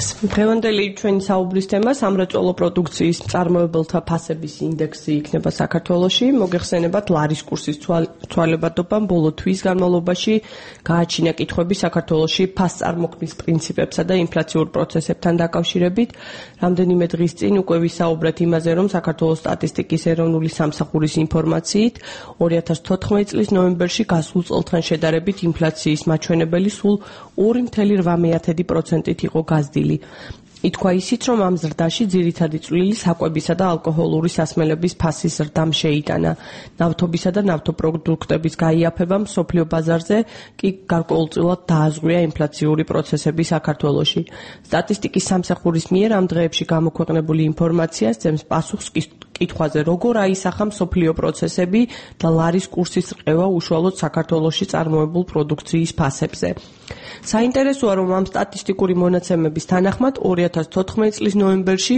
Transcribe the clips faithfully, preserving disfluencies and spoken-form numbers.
ფასებას. დღევანდელი ჩვენი საუბრის თემა სამრეწველო პროდუქციის მწარმოებელთა ფასების ინდექსი იქნება საქართველოში. მოგეხსენებათ ლარის კურსის ცვალებადობამ ბოლო თვის განმავლობაში გააჩინა კითხვები საქართველოში ფასწარმოქმნის პრინციპებსა და ინფლაციურ პროცესებთან დაკავშირებით. რამდენიმე დღის წინ უკვე ვისაუბრეთ იმაზე, რომ საქართველოს სტატისტიკის ეროვნული სამსახურის ინფორმაციით ორი ათას თოთხმეტი წლის ნოემბერში გასულ წელთან შედარებით ინფლაციის მაჩვენებელი სულ ორი მთელი რვა პროცენტით იყო გაზრდილი. ითქვა ისიც, რომ ამ ზრდაში ძირითადი წვლილი საკვებისა და ალკოჰოლური სასმელების ფასის ზრდამ შეიტანა. ნავთობისა და ნავთობპროდუქტების გაიაფებამ მსოფლიო ბაზარზე კი გარკვეულწილად დააზღვია ინფლაციური პროცესები საქართველოში. სტატისტიკის სამსახურის მიერ ამ დღეებში გამოქვეყნებული ინფორმაცია სცემს პასუხს კითხვაზე, როგორ აისახა მსოფლიო პროცესები და ლარის კურსის რყევა უშუალოდ საქართველოში წარმოებულ პროდუქციის ფასებზე. საინტერესოა, რომ ამ სტატისტიკური მონაცემების თანახმად ორი ათას თოთხმეტი წლის ნოემბერში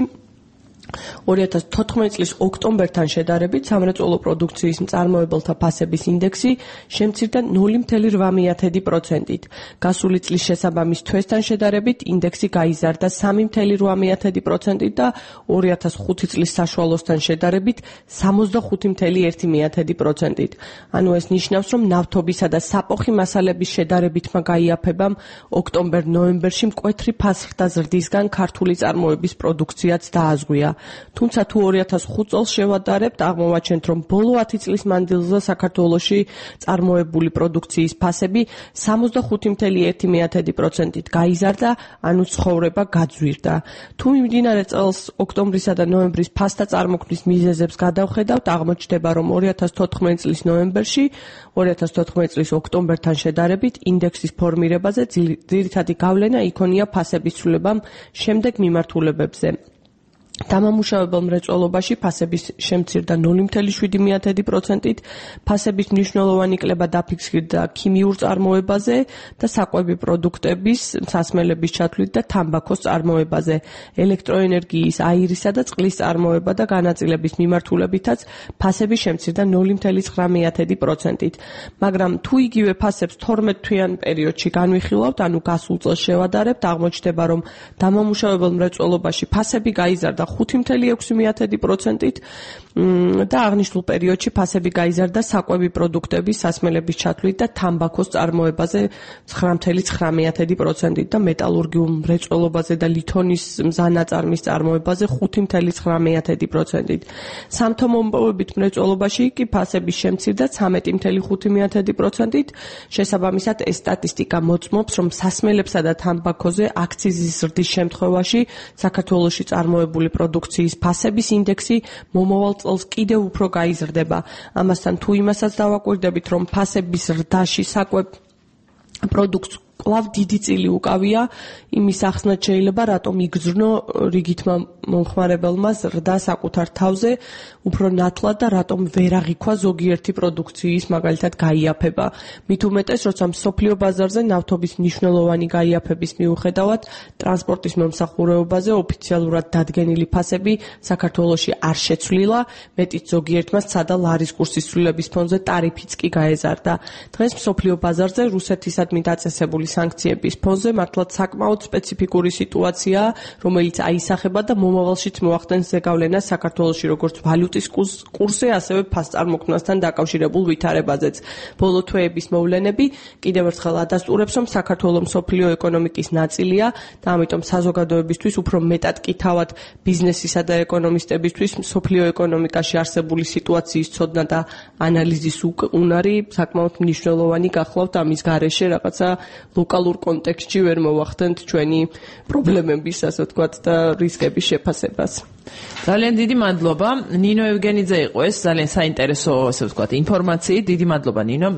ორი ათას თოთხმეტი წლის ოქტომბერთან შედარებით სამრეწველო პროდუქციის მწარმოებელთა ფასების ინდექსი შემცირდა ნული მთელი რვა პროცენტით. გასული წლის შესაბამის თვესთან შედარებით ინდექსი გაიზარდა სამი მთელი რვა პროცენტით და ორი ათას ხუთი წლის საშუალოსთან შედარებით სამოცდახუთი მთელი ერთი პროცენტით. ანუ ეს ნიშნავს, რომ ნავთობისა და საპოხი მასალების შედარებითმა გაიაფებამ ოქტომბერ-ნოემბერში მკვეთრი ფასხდა ზრდისგან ქართული წარმოების პროდუქციაც დააზღვია. თუმცა თუ ორი ათას ხუთი წელს შევადარებთ, აღმოვაჩენთ, რომ ბოლო ათი წლის მანძილზე საქართველოში წარმოებული პროდუქციის ფასები სამოცდახუთი მთელი ერთი პროცენტით გაიზარდა, ანუ ცხოვრება გაძვირდა. თუ მიმდინარე წელს ოქტომბრისა და ნოემბრის ფასთა წარმოქმნის მიზეზებს გადავხედავთ, აღმოჩნდება, რომ ორი ათას თოთხმეტი წლის ნოემბერში ორი ათას თოთხმეტი წლის ოქტომბერთან შედარებით ინდექსის ფორმირებაზე ძირითადი გავლენა იქონია ფასების ცვლილებამ შემდეგ მიმართულებებზე. დამამუშავებელ მრეწველობაში ფასების შემცირდა ნული მთელი შვიდი პროცენტით, ფასების მნიშვნელოვანი კლება დაფიქსირდა ქიმიურ წარმოებაზე და საკვები პროდუქტების, სასმელების ჩათვლით და თამბაქოს წარმოებაზე, ელექტროენერგიის, აირისა და წყლის წარმოება და განაწილების მიმართულებითაც ფასები შემცირდა ნული მთელი ცხრა პროცენტით. მაგრამ თუ იგივე ფასებს თორმეტ თვიან პერიოდში განვიხილავთ, ანუ გასულ წელს შევადარებთ, აღმოჩნდება, რომ დამამუშავებელ მრეწველობაში ფასები გაიზარდა ხუთი მთელი ექვსი პროცენტით და აღნიშნულ პერიოდში ფასები გაიზარდა საკვები პროდუქტების, სასმელების ჩათვლით და თამბაქოს წარმოებაზე ცხრა მთელი ცხრა პროცენტით და მეტალურგიულ მრეწველობაზე და ლითონის მზანაწარმის წარმოებაზე ხუთი მთელი ცხრა პროცენტით. სამთო-მომპოვებით მრეწველობაში კი ფასები შემცირდა ცამეტი მთელი ხუთი პროცენტით. შესაბამისად, ეს სტატისტიკა მოწმობს, რომ სასმელებსა და თამბაქოზე აქციზის ზრდის შემთხვევაში საქართველოში წარმოებული პროდუქციის ფასების ინდექსი მომავალ წელს კიდევ უფრო გაიზრდება. ამასთან თუ იმასაც დავაკვირდებით, რომ ფასების ზრდაში საკვებ პროდუქტს კვლავ დიდი წილი უკავია, იმის ახსნაც შეიძლება რატომ იგრძნო რიგითმა მომხმარებელმა ზრდა საკუთარ თავზე უფრო ნათლად და რატომ ვერ აღიქვა ზოგიერთი პროდუქციის მაგალითად გაიაფება. მით უმეტეს, როცა მსოფლიო ბაზარზე ნავთობის მნიშვნელოვანი გაიაფების მიუხედავად ტრანსპორტის მომსახურებაზე ოფიციალურად დადგენილი ფასები საქართველოში არ შეცვლილა, მეტიც ზოგიერთმა სცადა ლარის კურსის ცვლილების ფონზე ტარიფიც კი გაეზარდა. დღეს მსოფლიო ბაზარზე რუსეთისადმი დაწესებული სანქციების ფონზე მართლაც საკმაოდ სპეციფიკური სიტუაციაა, რომელიც აისახება და მომავალშიც მოახდენს ზეგავლენას საქართველოში როგორც ვალუტის კურსზე, ასევე ფასწარმოქმნასთან დაკავშირებულ ვითარებაზეც. ბოლო თვეების მოვლენები კიდევ ერთხელ ადასტურებს, რომ საქართველო მსოფლიო ეკონომიკის ნაწილია და ამიტომ საზოგადოებისთვის უფრო მეტად კი თავად ბიზნესისა და ეკონომისტებისთვის მსოფლიო ეკონომიკაში არსებული სიტუაციის ცოდნა და ანალიზის უნარი საკმაოდ მნიშვნელოვანი გახლავთ ამის გარეშე რაღაცა ლოკალურ კონტექსტში ვერ მოვახდენთ ჩვენი პრობლემების, ასე ვთქვათ, და რისკების შეფასებას. ძალიან დიდი მადლობა. ნინო ევგენიძე იყო ეს ძალიან საინტერესო, ასე ვთქვათ, ინფორმაციით. დიდი მადლობა ნინო.